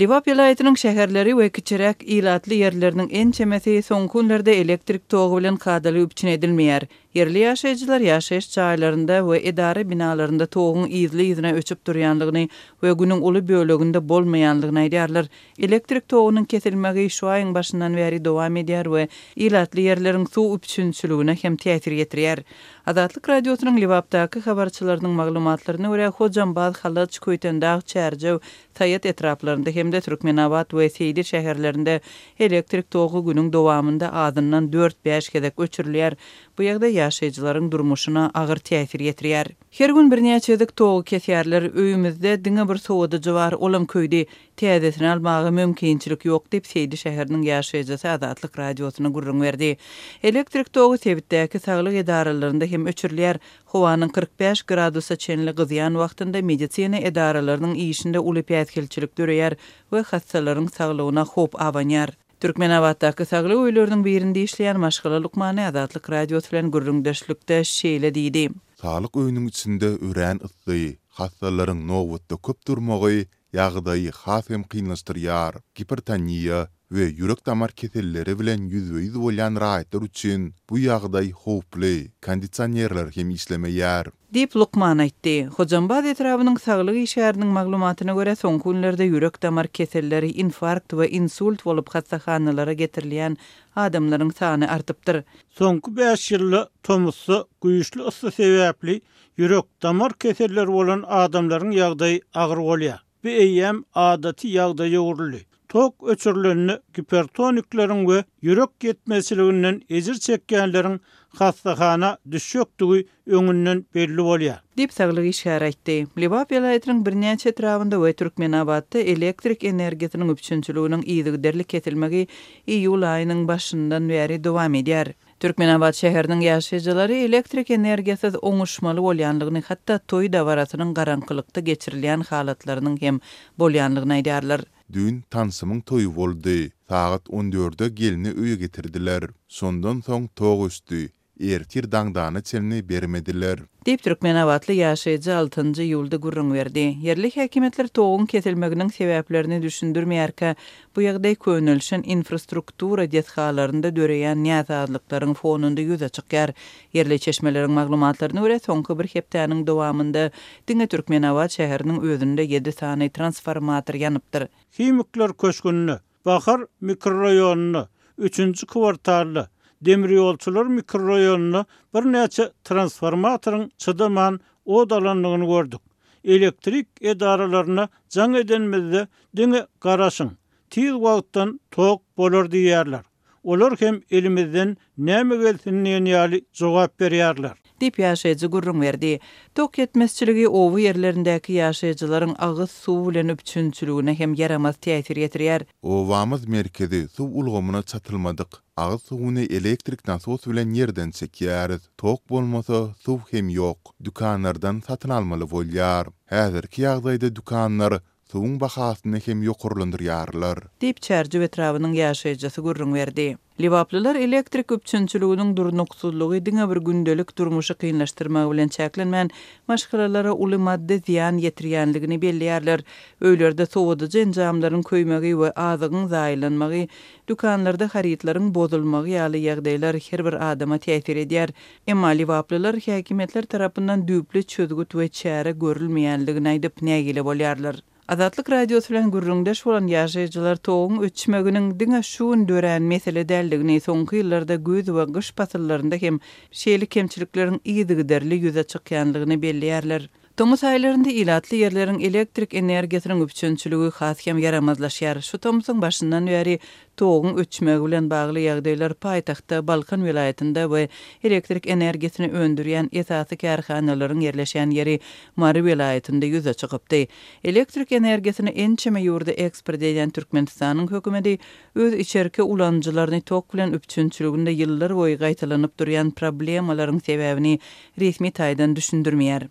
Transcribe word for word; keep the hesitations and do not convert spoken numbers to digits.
Lebap welaýatynyň şäherleri we kiçiräk ilatly ýerleriniň ençemesi soňky günlerde elektrik togy bilen kadaly üpjün edilmeýär. Ýerli ýaşaýjylar ýaşaýyş jaýlarynda we edara binalarynda toguň yzly-yzyna öçüp durýanlygyny we günüň uly böleginde bolmaýanlygyny aýdýarlar. Elektrik togunyň kesilmegi şu aýyň başyndan bäri dowam edýär we ilatly ýerleriň suw üpjünçiligine hem täsir ýetirýär. Azatlyk Radiosynyň Lebapdaky habarçylarynyň maglumatlaryna görä, Hojambaz, Halaç, Köýtendag, Çärjew, Saýat etraplarynda hem-de Türkmenabat we Seýdi şäherlerinde elektrik togy günüň dowamynda azyndan dört-bäş gezek öçürilýär. Bu ýagdaý ýaşaýjylaryň durmuşyna agyr täsir ýetirýär. Her gün birnäçe gezek togy kesýärler. Öýümizde diňe bir sowadyjy bar, olam köýdi. Täzesini almaga mümkinçilik ýok diýip, Seýdi şäheriniň ýaşaýjysy Azatlyk Radiosyna gürrüň berdi. Elektrik togy sebitdäki saglyk edaralarynda hem öçürilýär. Howanyň kyrk bäş gradusa çenli gyzýan wagtynda medisina edaralarynyň işinde uly päsgelçilik döreýär we hassalaryň saglygyna howp abanýar. Türkmenabatdaky saglyk öýleriniň birinde işleýän maşgala lukmany Azatlyk Radiosy bilen gürrüňdeşlikde şeýle diýdi. Saglyk öýüniň içinde örän yssy, hassalaryň nobatda köp durmagy ýagdaýy has hem kynlaşdyrýar. Gipertoniýa we ýürek-damar keselleri bilen ýüzbe-ýüz bolýan raýatlar üçin bu ýagdaý howply, kondisionerler hem işlemeýär. Diýip, lukman aýtdy. Hojambaz etrabynyň saglyk işgäriniň maglumatyna görä, soňky günlerde ýürek-damar keselleri, infarkt we insult bolup hassahanalara getirilýän adamlaryň sany artypdyr. Soňky bäş ýylda tomusda güýçli yssy sebäpli ýürek-damar keselleri bolan adamlaryň ýagdaýy agyr bolýar. Bu eýýäm adaty ýagdaýa öwrüldi. Tok öçürilende gipertonikleriň we ýürek ýetmezçiliginden ejir çekýänleriň hassahana düşjekdigi öňünden belli bolýar. Diýip, saglyk işgäri aýtdy. Lebap welaýatynyň birnäçe etrabynda we Türkmenabatda elektrik energiýasynyň üpjünçiliginiň yzygiderli kesilmegi iýul aýynyň başyndan bäri dowam edýär. Türkmenabat şäheriniň ýaşaýjylary elektrik energiýasyz oňuşmaly bolýanlygyny, hatda toý dabarasynyň garaňkylykda geçirilýän halatlarynyň hem bolýanlygyny aýdýarlar. Düýn tanşymyň toýy boldy. Sagat on dörde gelni öýe getirdiler. Şondan soň tok öçdi. Ertir daňdana çenli bermediler. Diýip, türkmenabatly ýaşaýjy altynjy iýulda gürrüň berdi. Ýerli häkimiýetler toguň kesilmeginiň sebäplerini düşündirmeýärkä, bu ýagdaý könelişen infrastruktura desgalarynda döreýän näsazlyklaryň fonunda ýüze çykýar. Ýerli çeşmeleriň maglumatlaryna görä, soňky bir hepdäniň dowamynda diňe Türkmenabat şäheriniň özünde ýedi sany transformator ýanypdyr. Himikler köşgünde, Bahar mikroraýonynda, üçünji kwartalda, Demirýolçular mikroraýonynda birnäçe transformatoryň çydaman ot alandygyny gördük. Elektrik edaralaryna jaň edenimizde diňe garaşyň, tiz wagtdan tok bolar diýýärler. Olar hem elimizden näme gelsin diýen ýaly jogap berýärler. Diýip, ýaşaýjy gürrüň berdi. Tok ýetmezçiligi oba ýerlerindäki ýaşaýjylaryň agyz suwy bilen üpjünçiligine hem ýaramaz täsir ýetirýär. Obamyz merkezi suw ulgamyna çatylmadyk. Agyz suwuny elektrik nasos bilen ýerden çekýäris. Tok bolmasa suw hem ýok. Dükanlardan satyn almaly bolýar. Häzirki ýagdaýda dükanlar suwuň bahasyny hem ýokarlandyrýarlar. Diýip, Çärjew etrabynyň ýaşaýjysy gürrüň berdi. Lebaplylar elektrik üpjünçiliginiň durnuksyzlygy diňe bir gündelik durmuşy kynlaşdyrmagy bilen çäklenmän, maşgalalara uly maddy zyýan ýetirýänligini belleýärler. Öýlerde sowadyjy enjamlaryň köýmegi we azygyň zaýalanmagy, dükanlarda harytlaryň bozulmagy ýaly ýagdaýlar her bir adama täsir edýär. Emma lebaplylar häkimiýetler tarapyndan düýpli çözgüt we çäre görülmeýänligini aýdyp nägile bolýarlar. Azatlyk Radiosy bilen gürrüňdeş bolan ýaşaýjylar toguň öçmeginiň diňe şu gün dörän mesele däldigini, soňky ýyllarda güýz we gyş pasyllarynda hem şeýle kemçilikleriň yzygiderli ýüze çykýanlygyny belleýärler. Tomus aýlarynda ilatly ýerleriň elektrik energiýasynyň üpjünçiligi has hem ýaramazlaşýar. Şu tomusyň başyndan bäri toguň öçmegi bilen bagly ýagdaýlar paýtagtda, Balkan welaýatynda we elektrik energiýasyny öndürýän esasy kärhanalaryň ýerleşýän ýeri Mary welaýatynda ýüze çykypdy. Elektrik energiýasyny ençeme ýurda eksport edýän Türkmenistanyň hökümeti öz içerki ulanyjylaryny tok bilen üpjünçiliginde ýyllar boýy gaýtalanyp durýan problemalaryň sebäbini resmi taýdan düşündirmeýär.